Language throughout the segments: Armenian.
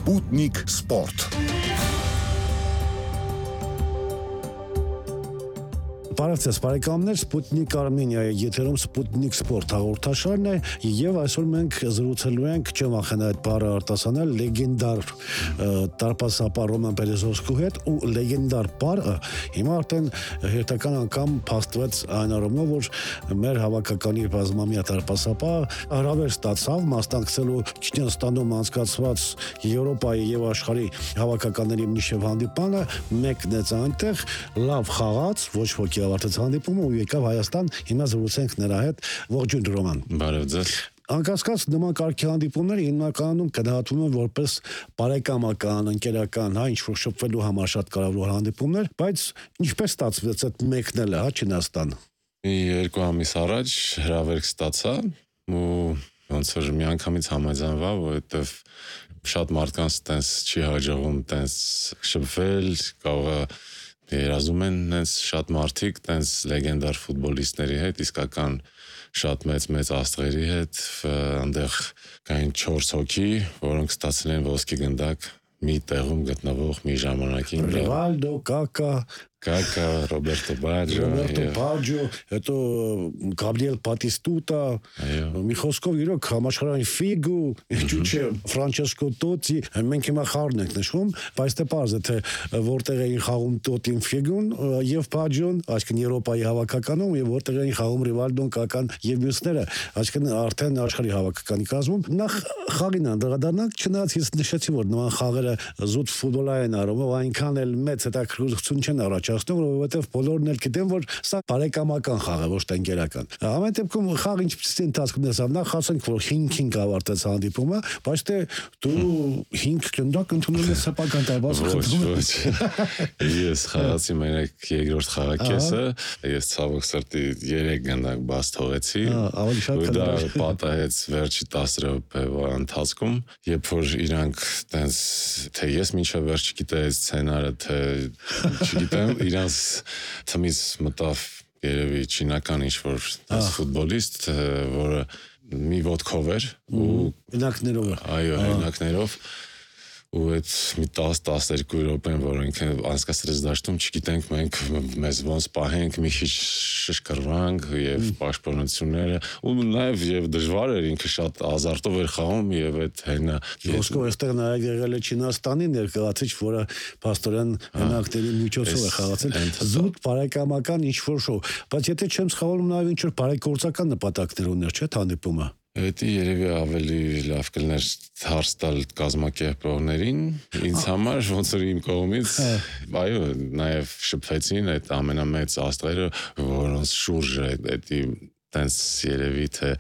Sputnik Sport. Բարև բարեկամներ, Sputnik Armenia-ի եթերում Sputnik Sport հաղորդաշարն է եւ այսօր մենք զրուցելու ենք, չեմ վախենա այդ բառը արտասանել, լեգենդար տարպասապահ Ռոման Բերեզովսկու հետ ու լեգենդար բառը հիմա արդեն հերթական անգամ փաստվեց այն առումով, որ մեր հավաքականի բազմամյա տարպասապահ հրավեր ստացավ մասնակցելու Չինաստանում անցկացված Եվրոպայի եւ աշխարհի հավաքականների միջև հանդիպանը, մեկնեց այնտեղ, լավ խաղաց, ոչ ոքի ավարտեց հանդիպումը ու եկավ Հայաստան, հիմա զրուցենք նրա հետ, ողջույն Ռոման։ Բարև ձեզ։ Անկասկած նման կարգի հանդիպումները հիմնականում գնահատվում են որպես բարեկամական, ընկերական, ինչ-որ շփվելու համար շատ կարևոր հանդիպումներ, բայց ինչպես ստացվեց այդ մեկնելը, Չինաստան։ Երկու ամիս առաջ հրավերք ստացա ու ոնց որ միանգամից համաձայնվա, որովհետև շատ մարդկանց տենց չի հաջողում տենց շփվել, կարող երազում են նենց շատ մարդիկ տենց լեգենդար ֆուտբոլիստների հետ, իսկական շատ մեծ աստղերի հետ, այնտեղ կային 4 հոգի, որոնք ստացել են ոսկի գնդակ մի տեղում գտնվող մի ժամանակին։ Ռիվալդո, Կակա, Ռոբերտո Բաջո, հետո Գաբրիել Բատիստուտա, մի խոսքով իրոք համաշխարհային ֆիգու, ջուչե Ֆրանչեսկո Տոտի, մենք հիմա խաղն ենք նշում, բայց դե պարզ է թե որտեղ էին խաղում Տոտին, ֆիգուն եւ Բաջոն, այսինքն Եվրոպայի հավաքականում եւ որտեղ էին խաղում Ռիվալդոն, Կական եւ մյուսները, այսինքն արդեն աշխարհի հավաքականի կազմում։ Նախ խաղին անդրադառնանք, չնայած ես նշեցի, որ նման խաղերը զուտ ֆուտբոլային առումով այնքան էլ մեծ հետաքրքրություն չեն առաջացնում, որովհետև բոլորն էլ գիտեն, որ սա բարեկամական խաղ է, ոչ թե ընկերական։ Ամեն դեպքում խաղը ինչպես ընթացքում դեսավ, նախ ասենք, որ 5-5 ավարտեց հանդիպումը, բայց թե դու 5 գնդակ ընդունել ես սեփական տարբաս խնդրում։ Ոչ։ Ես խաղացի մենակ երկրորդ խաղակեսը, ես ցավոք սրտի 3 գնդակ բաց թողեցի։ Ավելի շատ դա պատահեց վերջի 10 րոպեվա ընթացքում, երբ որ իրանք տենց թե ես մինչև վերջ չգիտեի սցենարը, թե չգիտեմ, իրանց թմից մտավ երևի չինական ինչ-որ ֆուտբոլիստ, որը մի ոտքով էր ու հենակներով։ Այո, հենակներով ու այդ մի 10-12 րոպեն, որ ինքը անցկացրեց դաշտում, չգիտենք մենք մեզ ոնց պահենք, մի քիչ շշկռվանք եւ պաշտպանությունները ու նաեւ եւ դժվար էր, ինքը շատ ազարտով էր խաղում եւ այդ հենա Ոսկով այստեղ նաեւ եղել է Չինաստանի ներկայացիչ, որը փաստորեն հենակների միջոցով է խաղացել զուտ բարեկամական ինչ-որ շոու, բայց եթե չեմ սխալվում նաեւ ինչ-որ բարեգործական նպատակներ ուներ, չէ՞ հանդիպումը։ Դա երևի ավելի լավ կլներ հարց տալ կազմակերպողներին, ինձ համար ոնց որ իմ կողմից, այո, նաև շփվեցին այդ ամենամեծ աստղերը, որոնց շուրջը դա տենց երևի թե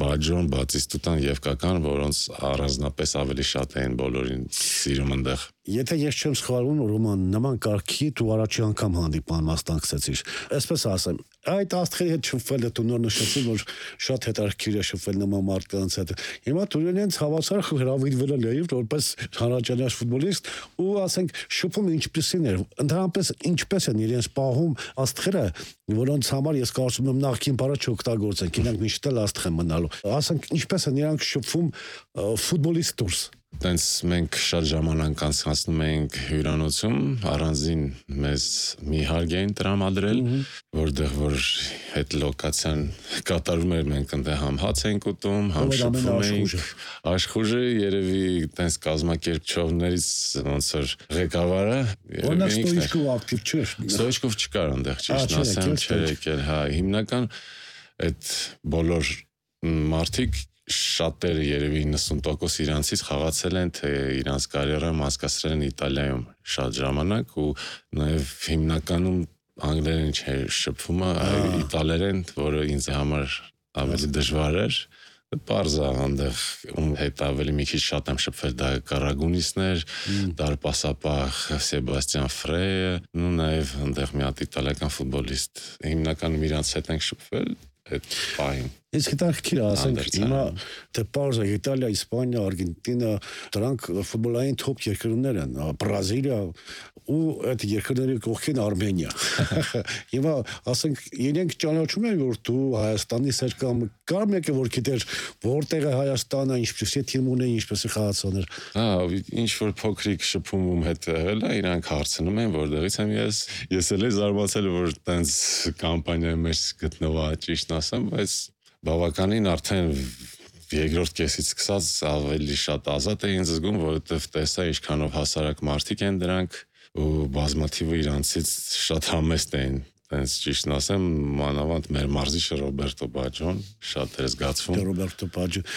Բաջոն, Բատիստուտան եւ Կական, որոնց առանձնապես ավելի շատ էին բոլորին սիրում այնտեղ։ Եթե ես չեմ սխալվում, Ռոման, նման կարգի դու առաջի անգամ հանդիպան մասնակցեցիր։ Այսպես ասեմ, այդ աստղերի հետ շփվելը դու նոր նշեցի, որ շատ հետաքրքիր է շփվել նման մարդկանց հետ։ Հիմա դու իրենց հավասար հրավիրվել ես որպես հանրաճանաչ ֆուտբոլիստ ու ասենք շփումը ինչպեսին էր։ Ընդհանրապես ինչպես են իրենց պահում աստղերը, որոնց համար ես կարծում եմ նախքին բառը չօգտագործենք, իրանք միշտ էլ աստղ են մնալու։ Ասենք ինչպես են իրանք շփվում ֆուտբոլիստ դուրս։ Տենց մենք շատ ժամանակ անցկացնում ենք հյուրանոցում, առանձին մեզ մի հարկ էին տրամադրել, որտեղ որ այդ լոկացիան կատարում էր, մենք այնտեղ համ հաց ենք ուտում, համ շփվում ենք։ Աշխուժը երևի տենց կազմակերպչողներից ոնց որ ղեկավարը Օրինակ Ստոյչկով ակտիվ չէր։ Ստոյչկով չկար այնտեղ, ճիշտ ասեմ, չէր եկել, հա, հիմնական այդ բոլոր մարդիկ շատերը երևի 90% իրանցից խաղացել են, թե իրանց կարիերան անցկացրել են Իտալիայում շատ ժամանակ ու նաև հիմնականում անգլերեն չէր շփումը, իտալերեն, որը ինձ համար ավելի դժվար էր։ Պարզ է այնտեղ ում հետ ավելի մի քիչ շատ եմ շփվել, դա Կարագունիսներ, դարպասապահ Սեբաստիան Ֆրեյը, ու նաև այնտեղ մի հատ իտալիական ֆուտբոլիստ։ Հիմնականում իրանց հետ ենք շփվել այդ պահին։ Իսկ հետաքրքիր ասենք հիմա թե պարզ է Իտալիա, Իսպանիա, Արգենտինա, դրանք ֆուտբոլային թոփ երկրներ են, Բրազիլիա ու այդ երկրների կողքին Արմենիա։ Հիմա ասենք իրենք ճանաչում են որ դու Հայաստանից ես կամ կար մեկը որ գիտեր որտեղ է Հայաստանը, ինչպես է թիմ ունեն, ինչպես է խաղացողներ։ Ինչ որ փոքրիկ շփումում հետ եղել է, իրանք հարցնում են որտեղից եմ ես էլ զարմացել որ տենց կամպանիայի մեջ գտնվա ճիշտ ասեմ, բայց բավականին արդեն երկրորդ կեսից սկսած ավելի շատ ազատ էին զգում, որովհետև տեսա ինչքանով հասարակ մարդիկ են դրանք ու բազմաթիվը իրանցից շատ համեստ էին Տենց ճիշտն ասեմ, մանավանդ մեր մարզիչը Ռոբերտո Բաջոն շատ էր զգացվում։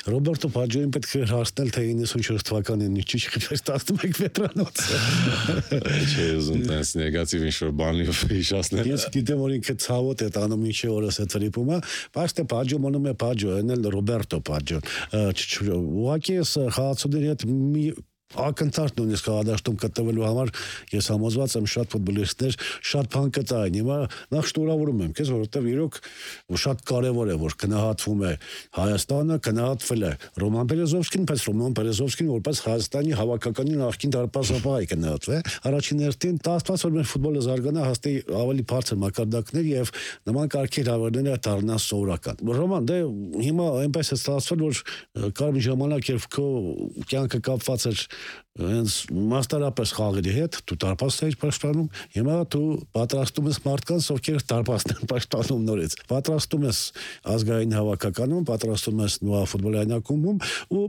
Ռոբերտո Բաջոին պետք է հարցնել թե 94 թվականին ինչի չխփեր 11 վետրանոց։ Չէ, ուզում տենց նեգատիվ ինչ-որ բանի հիշացնել։ Ես գիտեմ որ ինքը ցավոտ է տանում ինչի օրս է ծրիպում, բայց թե Բաջո մնում է Բաջո, այնել Ռոբերտո Բաջոն։ Ուղղակի ես խաղացողների հետ մի ակնթարթ նույնիսկ խաղադաշտում գտնվելու համար ես համոզված եմ շատ ֆուտբոլիստներ շատ բան կտային։ Հիմա նախ շնորհավորում եմ քեզ, որովհետև իրոք շատ կարևոր է որ գնահատվում է Հայաստանը, գնահատվել է Ռոման Բերեզովսկին, բայց Ռոման Բերեզովսկին որպես Հայաստանի հավաքականի նախկին դարպասապահ է գնահատվել։ Առաջին հերթին տասված որ մեր ֆուտբոլը զարգանա հաստի ավելի բարձր մակարդակներ եւ նման կարգի հավերները դառնան սովորական։ Ռոման, դե հիմա այնպես է ստացվել որ կար մի ժամանակ երբ քո կյանքը կապված էր հենց մասնարապես խաղերի հետ դու դարպասն էիր պաշտպանում, հիմա դու պատրաստում ես մարդկանց, ովքեր դարպասն են պաշտպանում նորից։ Պատրաստում ես ազգային հավաքականում, պատրաստում ես նույն ֆուտբոլային ակումբում ու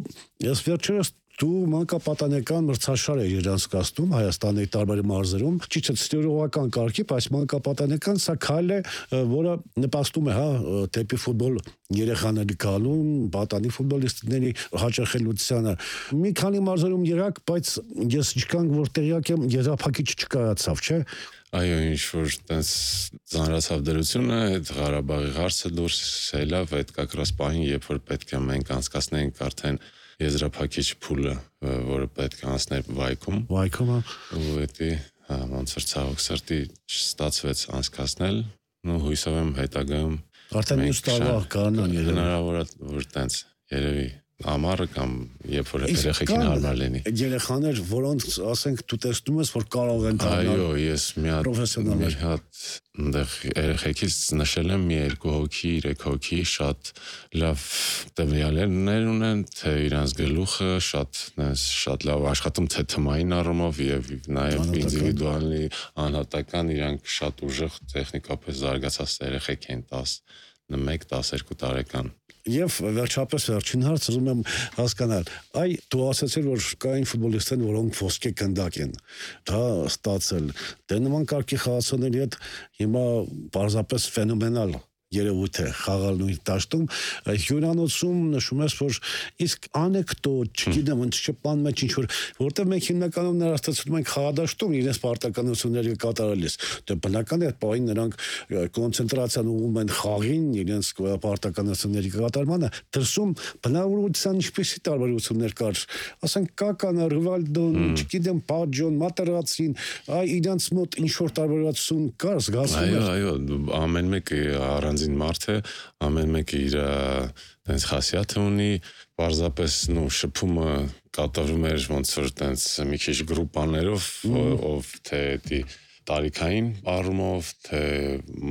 ես վերջերս դու մանկապատանեկան մրցաշար ես իրանցկացնում Հայաստանի տարբեր մարզերում, ճիշտ է ստորողական կարգի, բայց մանկապատանեկան սա քայլ է, որը նպաստում է, դեպի ֆուտբոլ երեխաների գալուն, պատանի ֆուտբոլիստների հաճախելությանը։ Մի քանի մարզերում եղաք, բայց ես ինչքան որ տեղյակ եմ, եզրափակիչ չկայացավ, չէ՞։ Այո, ինչ որ տենց ծանրացավ դրությունը, այդ Ղարաբաղի հարցը դուրս ելավ, այդ կակրաս պահին, երբ որ պետք է մենք անցկացնենք արդեն եզրափակիչ փուլը, որը պետք է անցներ Վայքում։ Վայքում, ու էդի ոնց որ ցավոք սրտի չստացվեց անցկացնել, ու հույսով եմ հետագայում արդեն մյուս տարվա կանան հնարավոր է որ տենց երևի ամառը կամ երբ որ երեխեքին հարմար լինի։ Երեխաներ, որոնց ասենք դու տեսնում ես, որ կարող են դառնալ։ Այո, ես մի հատ այնտեղ երեխեքից նշել եմ մի 2 հոգի, 3 հոգի շատ լավ տվյալներ ունեն, թե իրանց գլուխը շատ լավ աշխատում թե թմային առումով եւ նաեւ ինդիվիդուալի անհատական իրանք շատ ուժեղ տեխնիկապես զարգացած երեխեք են 11-12 տարեկան։ Եվ վերջապես վերջին հարց ուզում եմ հասկանալ, դու ասացիր, որ կային ֆուտբոլիստներ, որոնք ոսկե գնդակ են, դա ստացել, դե նման կարգի խաղացողների հետ հիմա պարզապես ֆենոմենալ երևույթ է խաղալ նույն դաշտում, հյուրանոցում նշում ես, որ իսկ անեկդոտ, չգիտեմ, շփման մեջ ինչ-որ, որտեղ մենք հիմնականում ներաստացնում ենք խաղադաշտում իրենց պարտականությունները կատարելիս, դե բնական է այդ պահին նրանք կոնցենտրացիան ուղղում են խաղին, իրենց պարտականությունների կատարմանը, դրսում բնավորության ինչպեսի տարբերություններ կար, ասենք Կական, Ռիվալդոն, չգիտեմ, Բաջոն, Մատերացին, իրենց մոտ ինչ-որ տարբերություն կար, զգացվում էր։ Այո, ամեն մեկը առանձին մարդ է, ամեն մեկը իր տենց խասյաթը ունի, պարզապես շփումը կատարվում էր ոնց որ տենց մի քիչ գրուպաներով, ով թե տարիքային առումով, թե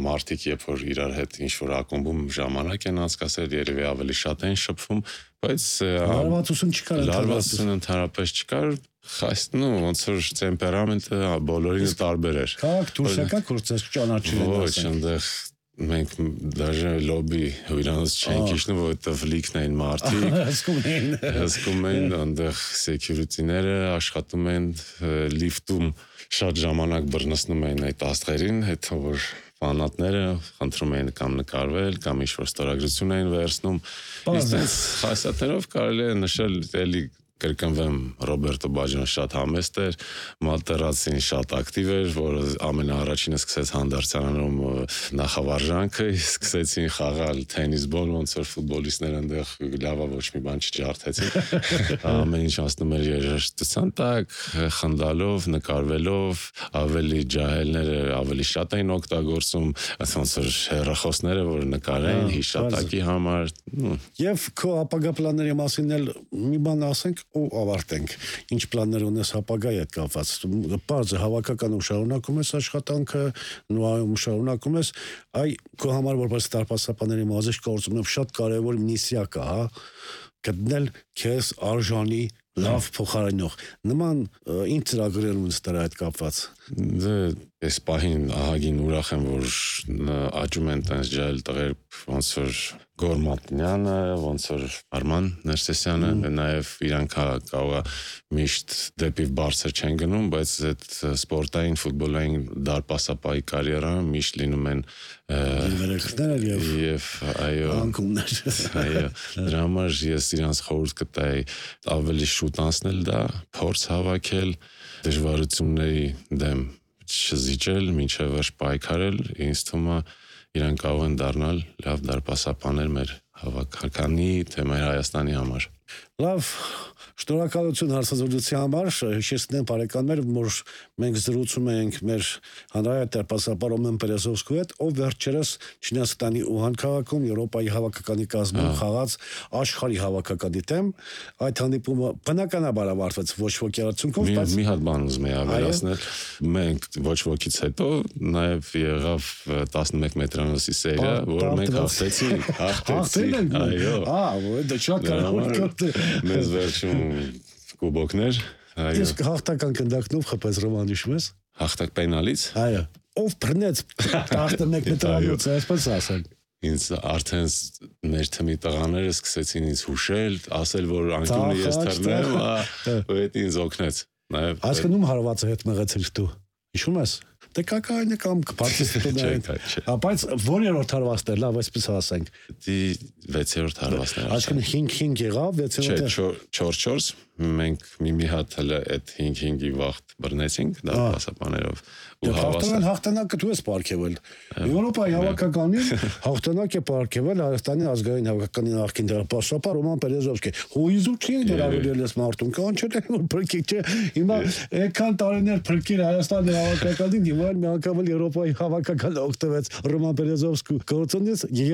մարդիկ երբ որ իրար հետ ինչ-որ ակումբում ժամանակ են անցկացրել, երևի ավելի շատ են շփվում, բայց լարվածություն չկար, լարվածություն ընդհանրապես չկար, ոնց որ տեմպերամենտը բոլորին տարբեր էր։ Քաղաք դուրս եկաք, որ ձեզ ճանաչել են, ոչ, այնտեղ մենք դաժե լոբի հյուրանոց չենք իջնում, որովհետև լիքն էին մարդիկ, հսկում էին, այնտեղ սեկյուրիտիները աշխատում են լիֆտում, շատ ժամանակ բռնցնում էին այդ աստղերին, հետո որ ֆանատները խնդրում էին կամ նկարվել, կամ ինչ-որ ստորագրություն էին վերցնում, իսկ այս խասյաթներով կարելի է նշել էլի կրկնվեմ Ռոբերտո Բաջոն շատ համեստ էր, Մալտերացին շատ ակտիվ էր, որը ամենաառաջինը սկսեց հանդարtsյանում նախավարժանքը, սկսեցին խաղալ թենիսբոլ, ոնց որ ֆուտբոլիստները այնտեղ լավա ոչ մի բան չջարդեցին։ Ամեն ինչ անցնում էր երաժշտության տակ, խնդալով, նկարվելով, ավելի ջահելները ավելի շատ էին օգտագործում, ոնց որ հեռախոսները, որ նկարեն հիշատակի համար։ Եվ քո ապագա պլանների մասին էլ մի բան ասենք ու ավարտենք։ Ինչ պլաններ ունես ապագայի հետ կապված։ Պարզ է հավաքականում շարունակում ես աշխատանքը, նույն շարունակում ես, այ քո համար որպես դարպասապաների մազի գործում շատ կարևոր միսիա կա, հա, գտնել քեզ արժանի լավ փոխարինող։ Նման ինչ ծրագրեր ունես դրա հետ կապված։ Դե այս պահին ահագին ուրախ եմ, որ աճում են տենց ջահել տղեր, ոնց որ Գորմատնյանը, ոնց որ Արման Ներսեսյանը, նաև իրանք կարող է միշտ դեպի բարձր չեն գնում, բայց այդ սպորտային, ֆուտբոլային դարպասապայի կարիերան միշտ լինում են եւ այո, անկումներ։ Այո, դրա համար ես իրանց խորհուրդ կտայի ավելի շուտ անցնել դա, փորձ հավաքել, դժվարությունների դեմ չզիջել, մինչև վերջ պայքարել, ինձ թվում է իրանք կարող են դառնալ լավ դարպասապաներ մեր հավաքականի, թե մեր Հայաստանի համար։ Լավ, շնորհակալություն հարցազրույցի համար, հիշեցնեմ բարեկամներ, որ մենք զրուցում ենք մեր հանրային դարպասապան Ռոմեն Պերեզովսկու հետ, ով վերջերս Չինաստանի Ուհան քաղաքում Եվրոպայի հավաքականի կազմում խաղաց աշխարհի հավաքականի դեմ, այդ հանդիպումը բնականաբար ավարտվեց ոչ ոքի արդյունքով, բայց մի հատ բան ուզում եմ ավելացնել, մենք ոչ ոքից հետո նաև եղավ 11 մետրանոցի սերիա, որը մենք հաղթեցինք, այո, դա շատ կարևոր մեզ վերջում կուբոկներ, այո։ Իսկ հաղթական կնդակնով խփեց Ռոման հիշում ես։ Հաղթակ պենալից։ Այո։ Ով բռնեց 11 մետրանոց, այսպես ասենք։ Ինձ արդեն մեր թմի տղաները սկսեցին ինձ հուշել, ասել, որ անկյունը ես թռնեմ, ու այդ ինձ օգնեց։ Այսքանում հարվածը հետ մղեցիր դու։ Հիշում ես։ Դե կակայինը կամ կպարտիզիպներ։ Բայց որերորդ հարվածն էր, լավ, այսպես ասենք։ Դի 6-րդ հարվածն էր։ Այսինքն 5-5 եղավ, 6-րդը 4-4, մենք մի հատ հələ այդ 5-5-ի վաղտ բռնեցինք դարպասապաներով ու հավասար հաղթանակը դու ես պարգևել։ Եվրոպայի հավաքականին հաղթանակ է պարգևել Հայաստանի ազգային հավաքականի նախկին դարպասապան Ռոման Պերեզովսկի։ Հույզու չի դրավիրել ես մարդուն, կանչել են որ փրկիչ չէ։ Հիմա այդքան տարիներ փրկիր Հայաստանի հավաքականին, հիմա մի անգամ Եվրոպայի հավաքականը օգտվեց Ռոման Պերեզովսկու գործոնից